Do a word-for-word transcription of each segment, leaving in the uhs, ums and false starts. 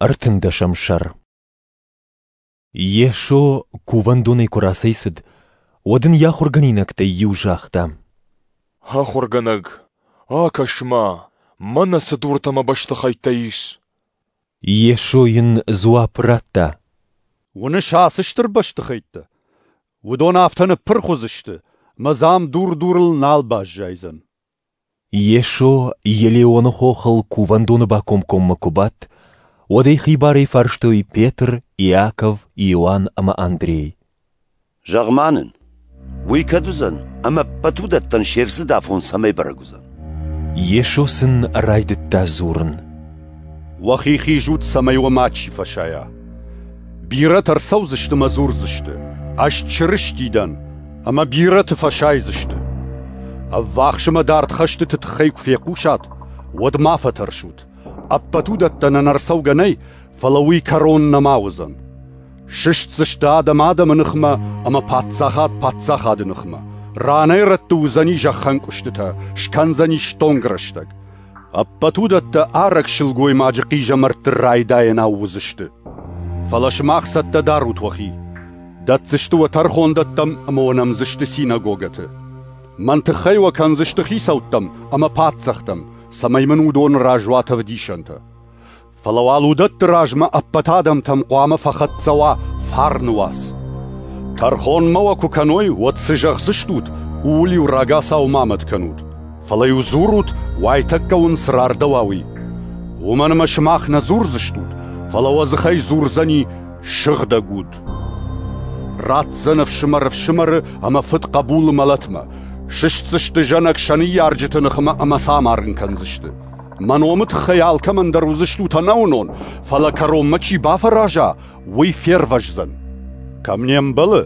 Ӕртындӕсӕм сӕр. Йесо кувӕндонӕй куы рацӕйцыд, уӕд ын йӕ ахуыргӕнинӕгтӕй иу загъта: Ахуыргӕнӕг, акӕс-ма, мӕнӕ цы дуртӕ ӕмӕ бӕстыхӕйттӕ ис! Йесо йын дзуапп радта: Уыныс ацы стыр бӕстыхӕйттӕ? Уыдон афтӕ ныппырх уыдзысты, ӕмӕ дзы ам дур дурыл нал баззайдзӕн. Йесо Елеоны хохыл кувӕндоны бакомкоммӕ куы бадт, уӕд ӕй хибарӕй фарстой Петр, Иаков, Иоанн ӕмӕ Андрей. Зӕгъ-ма нын, уый кӕд уыдзӕн, ӕмӕ ӕппӕт уыдӕттӕн се рцыд афон цӕмӕй бӕрӕг уыдзӕн? Йесо сын райдыдта дзурын: Уӕхи хизут, цӕмӕй уӕ мачи фӕсайа. Бирӕтӕ ӕрцӕудзысты ӕмӕ дзурдзысты: «Ӕз Чырысти дӕн», ӕмӕ бирӕты фӕсайдзысты. Ӕввахс ӕмӕ дард хӕстыты тыххӕй куы фехъусат, уӕд ма фӕтӕрсут. Ӕппӕт уыдӕттӕн ӕнӕрцӕугӕ нӕй, фӕлӕ уый кӕрон нӕма уыдзӕн. Сыстдзысты адӕм адӕмы ныхмӕ ӕмӕ паддзахад паддзахады ныхмӕ. Ранӕй-рӕтты уыдзӕни зӕххӕнкъуыстытӕ, скӕндзӕни стонг рӕстӕг. Ӕппӕт уыдӕттӕ арӕг сылгоймаджы хъизӕмӕртты райдайӕнау уыдзысты. Фӕлӕ сымах цӕттӕ дарут уӕхи. Дӕтдзысты уӕ тӕрхондӕттӕм ӕмӕ уӕ нӕмдзысты синагогӕты. Мӕн тыххӕй уӕ кӕндзысты хицӕуттӕм ӕмӕ паддзӕхтӕм, цӕмӕй мын уыдоны раз уат ӕвдисӕнтӕ. Фӕлӕ уал уыдӕтты размӕ ӕппӕт адӕмтӕм хъуамӕ фӕхӕццӕ уа фарны уац. Тӕрхонмӕ уӕ куы кӕной, уӕд цы зӕгъдзыстут, ууыл-иу рагацау ма мӕт кӕнут. Фӕлӕ-иу дзурут, уайтӕккӕ уын цы рардӕуа, уый. Уымӕн ӕмӕ сымах нӕ дзурдзыстут, фӕлӕ уӕ дзыхӕй дзурдзӕни Сыгъдӕг Уд. Ратдзӕн ӕфсымӕр ӕфсымӕры ӕмӕ фыд хъӕбулы мӕлӕтмӕ. Сыстдзысты зӕнӕг сӕ ныййарджыты ныхмӕ ӕмӕ сӕ амарын кӕндзысты. Мӕ номы тыххӕй алкӕмӕн дӕр уыдзыстут ӕнӕуынон, фӕлӕ кӕронмӕ чи бафӕраза, уый фервӕздзӕн. Кӕм не мбӕлы,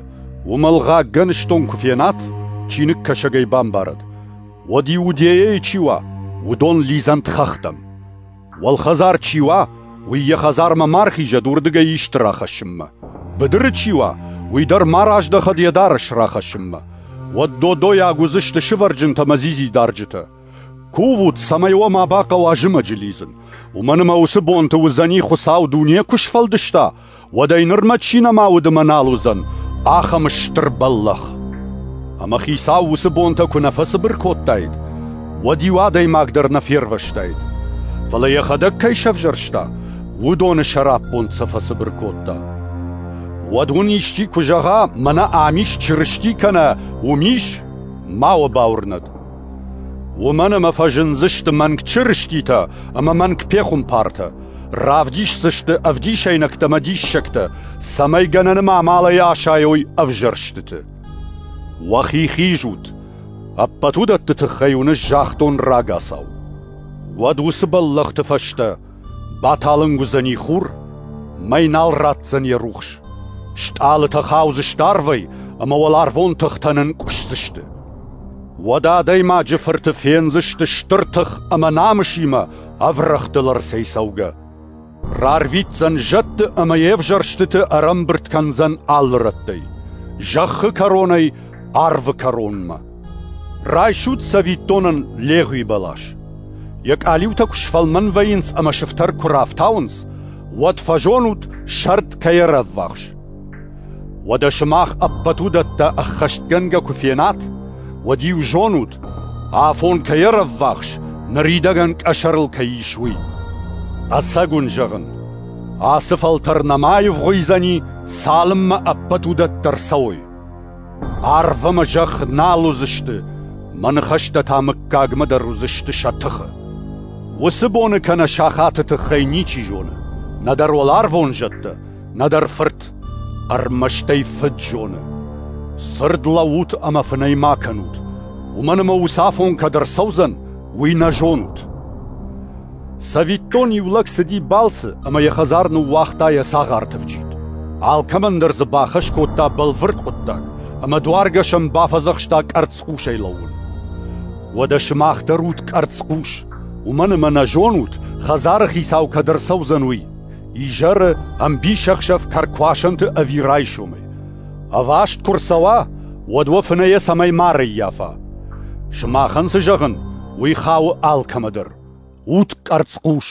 уым ӕлгъаг гӕныстон куы фенат, чиныгкӕсӕг ӕй бамбарӕд, уӕд Иудейӕйы чи уа, уыдон лидзӕнт хӕхтӕм. Уӕлхӕдзар чи уа, уый йӕ хӕдзармӕ ма рхизӕд уырдыгӕй исты рахӕссынмӕ. Быдыры чи уа, уый дӕр ма раздӕхӕд йӕ дарӕс рахӕссынмӕ. Уӕд додойаг уыдзысты сывӕрджынтӕ ӕмӕ дзидзидарджытӕ. Кувут, цӕмӕй уӕ ма бахъӕуа зымӕджы лидзын. Уымӕн ӕмӕ уыцы бонты уыдзӕни, Хуыцау дуне куы сфӕлдыста, уӕдӕй нырмӕ чи нӕма уыд ӕмӕ нал уыдзӕн, ахӕм стыр бӕллӕх. Ӕмӕ Хицау уыцы бонтӕ куы нӕ фӕцыбыр кодтаид, уӕд иу адӕймаг дӕр нӕ фервӕзтаид. Фӕлӕ йӕхӕдӕг кӕй сӕвзӕрста, уыдоны сӕраппонд сӕ фӕцыбыр кодта. Уӕд уын исчи куы зӕгъа, мӕнӕ ам ис Чырысти кӕнӕ уым ис, ма уӕ бауырнӕд. Уымӕн ӕмӕ фӕзындзысты мӕнг чырыститӕ ӕмӕ мӕнг пехуымпартӕ, равдисдзысты ӕвдисӕйнӕгтӕ ӕмӕ диссӕгтӕ, цӕмӕй гӕнӕны амалӕй асайой ӕвзӕрстыты. Уӕхи хизут, ӕппӕт уыдӕтты тыххӕй уын ӕз загътон рагацау. Уӕд уыцы бӕллӕхты фӕстӕ баталынг уыдзӕни хур, мӕй нал ратдзӕн йӕ рухс. Стъалытӕ хаудзысты арвӕй ӕмӕ уӕларвон тыхтӕ нынкъуысдзысты. Уӕд Адӕймаджы Фырты фендзысты стыр тых ӕмӕ намысимӕ ӕврӕгътыл ӕрцӕйцӕугӕ. Рарвитдзӕн зӕдты ӕмӕ йе взӕрстыты ӕрӕмбырд кӕндзӕн алы рӕттӕй, зӕххы кӕронӕй арвы кӕронмӕ. Райсут цӕвиттонӕн легъуи бӕлас. Йӕ къалиутӕ куы сфӕлмӕн вӕййынц ӕмӕ сыфтӕр куы рафтауынц, уӕд фӕзонут, сӕрд кӕй ӕрӕввахс. Уӕдӕ сымах ӕппӕт уыдӕттӕ ӕххӕстгӕнгӕ куы фенат, уӕд-иу зонут, афон кӕй ӕрӕввахс, ныридӕгӕн къӕсӕрыл кӕй ис, уый. Ӕцӕг уын зӕгъын, ацы фӕлтӕр нӕма аивгъуыйдзӕни, цалынмӕ ӕппӕт уыдӕттӕ ӕрцӕуой. Арв ӕмӕ зӕхх нал уыдзысты, мӕ ныхӕстӕ та мыггагмӕ дӕр уыдзысты сӕ тыхы. Уыцы боны кӕнӕ сахаты тыххӕй ничи зоны, нӕдӕр уӕларвон зӕдтӕ, нӕдӕр Фырт, ӕрмӕст ӕй Фыд зоны. Цырд лӕуут ӕмӕ фынӕй ма кӕнут, уымӕн ӕмӕ уыцы афон кӕд ӕрцӕудзӕн, уый нӕ зонут. Цӕвиттон, иу лӕг цыди балцы ӕмӕ йӕ хӕдзар ныууагъта йӕ цагъарты вджид. Алкӕмӕн дӕр дзы бахӕс кодта бӕлвырд хъуыддаг, ӕмӕ дуаргӕсӕн бафӕдзӕхста къӕрцхъусӕй лӕууын. Уӕдӕ сымах дӕр ут къӕрцхъус, уымӕн ӕмӕ нӕ зонут, хӕдзары хицау кӕд ӕрцӕудзӕн, уый. Изӕры, ӕмбисӕхсӕв кӕркуасӕнты ӕви райсомӕй. Ӕваст куы рцӕуа, уӕд уӕ фынӕйӕ цӕмӕй ма ӕрӕййафа. Сымахӕн цы зӕгъын, уый хауы алкӕмӕ дӕр. Ут къӕрцхъус!